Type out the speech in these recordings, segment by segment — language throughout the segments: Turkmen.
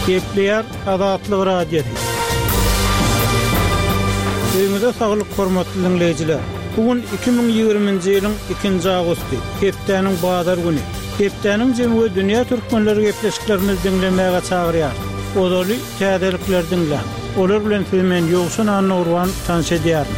Gepleýär Azatlyk Radiosy. Öýüňize saglyk hormatly diňleýjiler! Bu gün 2020-nji ýylyň ikinji awgusty, hepdäniň bazar güni. Hepdäniň jemi we dünýä türkmenleri gepleşiklerimizi diňlemäge çagyrýar. Ozaly täzelikleri diňläň. Olar bilen sizi men Ýowşan Annagurban tanyş edýärin.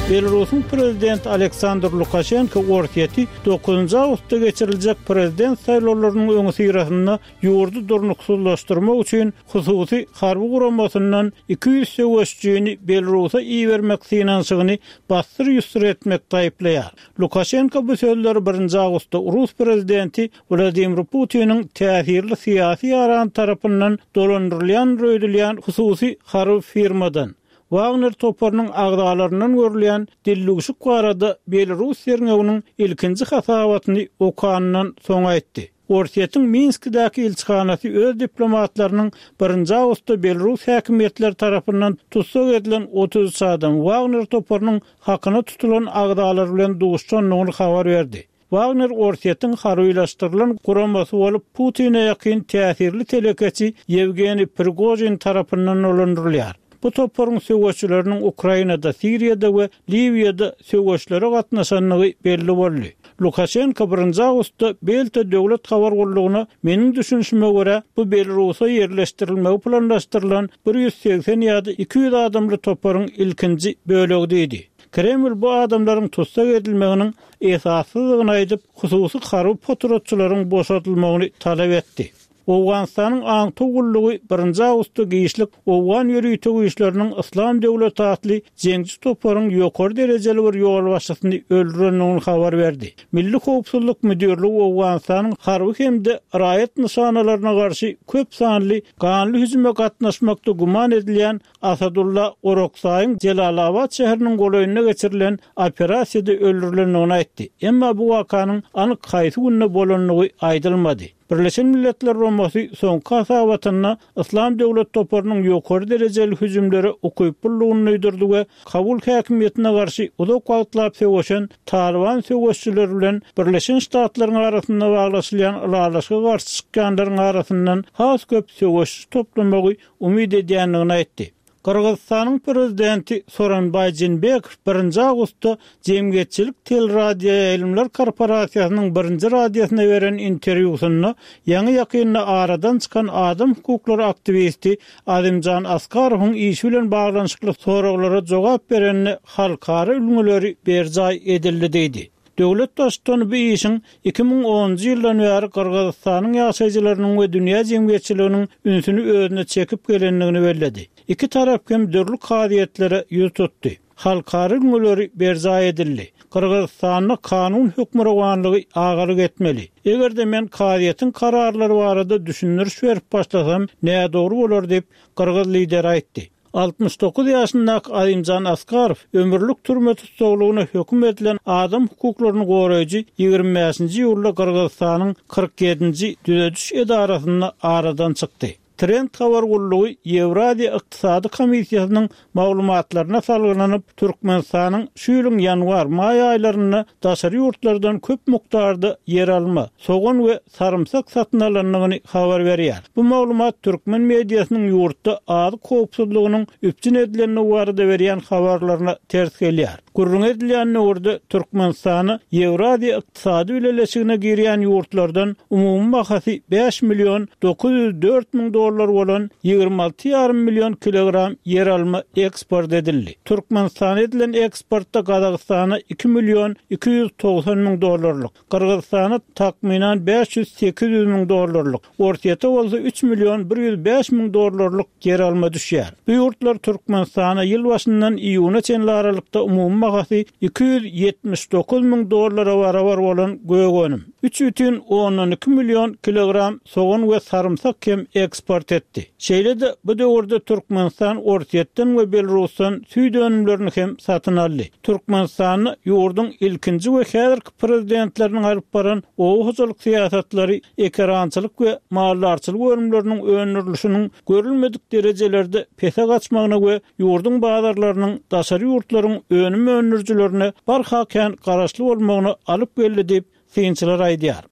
Belarusyň prezidenti Aleksandr Lukaşenko Orsýeti dokuzynjy awgustda geçiriljek prezident saýlawlarynyň öňüsyrasynda ýurdy durnuksyzlaşdyrmak üçin hususy harby guramasyndan 200 söweşijini Belarusa ibermek synanyşygyny bassyr-ýussur etmekde aýyplaýar. Lukaşenko bu sözleri birinji awgustda rus prezidenti Wladimir Putiniň täsirli syýasy ýarany tarapyndan dolandyrylýandyr öýdülýän hususy harby firmadan, Wagner toparynyň agzalaryndan görülýän dildüwşük barada belarus derňewiniň ilkinji hasabatyny okanyndan soň aýtdy. Orsýetiň Minskidäki ilçihanasy öz diplomatlarynyň birinji awgustda belarus häkimiýetleri tarapyndan tussag edilen 33 adam Wagner toparynyň hakyna tutulan agzalary bilen duşuşandygyny habar berdi. Wagner Orsýetiň harbylaşdyrylan guramasy bolup, Putine ýakyn täsirli telekeçi Ýewgeniý Prigožin tarapyndan dolandyrylýar. Bu toparyň söweşçileriniň Ukrainada, Siriýada we Liwiýada söweşlere gatnaşandygy belli boldy. Lukaşenko birinji awgustda Belta döwlet habar gullugyna Meniň düşünişime görä, bu Belarusa ýerleşdirilmegi planlaşdyrylan 180 ýa-da 200 adamly toparyň ilkinji bölegi diýdi. Kreml bu adamlaryň tussag edilmeginiň esassyzdygyny aýdyp, hususy harby potratçylaryň boşadylmagyny talap etdi. Owganystanyň aňtaw gullugy birinji awgustda giçlik owgan ýörite güýçleriniň Yslam döwleti atly jeňçi toparyň ýokary derejeli bir ýolbaşçysyny öldürendigini habar berdi. Milli howpsuzlyk müdirligi Owganystanyň harby hem-de raýat nyşanalaryna garşy köp sanly ganly hüjüme gatnaşmakda güman edilýän Asadulla Oraksaýyň Jelalabat şäheriniň golaýynda geçirilen operasiýada öldürilendigini aýtdy. Emma bu wakanyň anyk haýsy günde bolandygy aýdylmady. Birleşen Milletler Guramasy soňky hasabatynda Yslam döwlet toparynyň ýokary derejeli hüjümlere ukyplydygyny duýdurdy we Kabul häkimiýetine garşy uzak wagtlap söweşen Talyban söweşijileri bilen Birleşen Ştatlaryň arasynda baglaşylýan ylalaşyga garşy çykýanlaryň arasyndan has köp söweşçi toplamagy umyt edýändigini aýtdy. Gyrgyzystanyň prezidenti Soronbaý Jeenbekow birinji awgustda Jemgyýetçilik teleradioýaýlymlar korporasiýasynyň birinji radiosyna beren interwýusynda ýaňy-ýakynda aradan çykan adam hukuklary aktiwisti Azimjan Askarowyň işi bilen baglanyşykly soraglara jogap berende halkara ülňüleri berjaý edildi diýdi. Döwlet Baştutany bu işiň 2010-njy ýyldan bäri Gyrgyzystanyň ýaşaýjylarynyň we dünýä jemgyýetçiliginiň ünsüni özüne çekip gelendigini belledi. Iki tarap hem dürli kazyýetlere ýüz tutdy. Halkara ülňüleri berjaý edildi. Gyrgyzystanda kanun hökmürowanlygy agalyk etmeli. Eger-de men kazyýetiň kararlary barada düşündiriş berip başlasam, nädogry bolar diýip, gyrgyz lideri aýtdy. 69 ýaşyndaky Azimjan Askarow ömürlik türme tussaglygyna höküm edilen adam hukuklaryny goraýjy 25-nji iýulda Gyrgyzystanyň 47-nji düzediş edarasynda aradan çykdy. Trend habar gullugy Ýewraziýa ykdysady komissiýasynyň maglumatlaryna salgylanyp, Türkmenistanyň şu ýylyň ýanwar, maý aýlarynda daşary ýurtlardan köp mukdarda ýeralma, sogan we sarymsak satyn alandygyny habar berýär. Bu maglumat türkmen mediasynyň ýurtda azyk howpsuzlygynyň üpjün edilendigi barada berýän habarlaryna ters gelýär. Gürrüňi edilýän döwürde Türkmenistana Ýewraziýa ykdysady bileleşigine girýän ýurtlardan umumy bahasy bäş million 904 müň dollar bolan 26 ýarym million kilogram ýeralma eksport edildi. Türkmenistana edilen eksportda Gazagystana iki million 290 müň dollarlyk, Gyrgyzystana takmynan 500-800 müň dollarlyk, Orsýete bolsa üç million 105 müň dollarlyk ýeralma düşýär. Bu ýurtlar Türkmenistana ýyl başyndan iýuna çenli aralykda umumy bahasy 279 müň dollara barabar bolan gök önüm, üç bütin ondan iki million kilogram sogan we sarymsak hem eksport etdi. Şeýle-de, bu döwürde Türkmenistan Orsýetden we Belarusdan süýt önümlerini hem satyn aldy. Türkmenistanda ýurduň ilkinji we häzirki prezidentleriniň alyp baran oba hojalyk syýasatlary ekerançylyk we maldarçylyk önümleriniň öndürilişiniň görülmedik derejelerde pese gaçmagyna we ýurduň bazarlarynyň daşary ýurtlaryň önüm öndürijilerine barha kän garaşly bolmagyna alyp geldi diýip, synçylar aýdýar.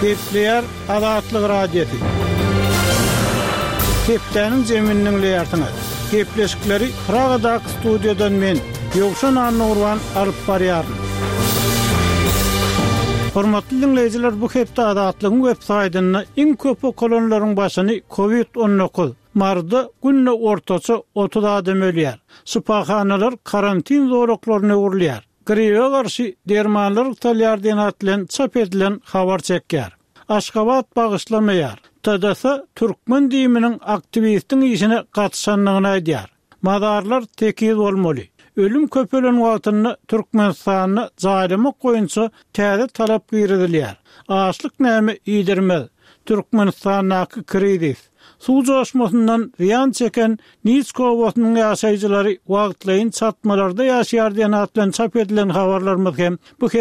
Gepleýär Azatlyk Radiosy. Hepdäniň jemini diňleýärsiňiz. Gepleşikleri Pragadaky studiýadan men, Ýowşan Annagurban alyp barýaryn. Hormatly diňleýjiler, bu hepde Azatlygyň web saýtynda iň köp okalanlaryň başyny Covid 19, Maryda günde ortaça 30 adam ölýär. Şypahanalar karantin zolaklaryna öwrülýär. Gribe garşy dermanlar ygtalýar diýen at bilen çap edilen habar çekýär. Aşgabat bagyşlamaýar. TDS türkmen DIM-niň aktiwistiň işine gatyşandygyny aýdýar. Mazarlar tekiz bolmaly. Ölüm köpelen wagtynda Türkmenistanda jaýlamak boýunça täze talap girizilýär. Açlyk näme iýdirmez. Türkmenistandaky krizis. Suw joşmasyndan zyýan çeken Niçka obasynyň ýaşaýjylary wagtlaýyn çatmalarda ýaşaýar diýen at bilen çap edilen habarlarymyz hem bu.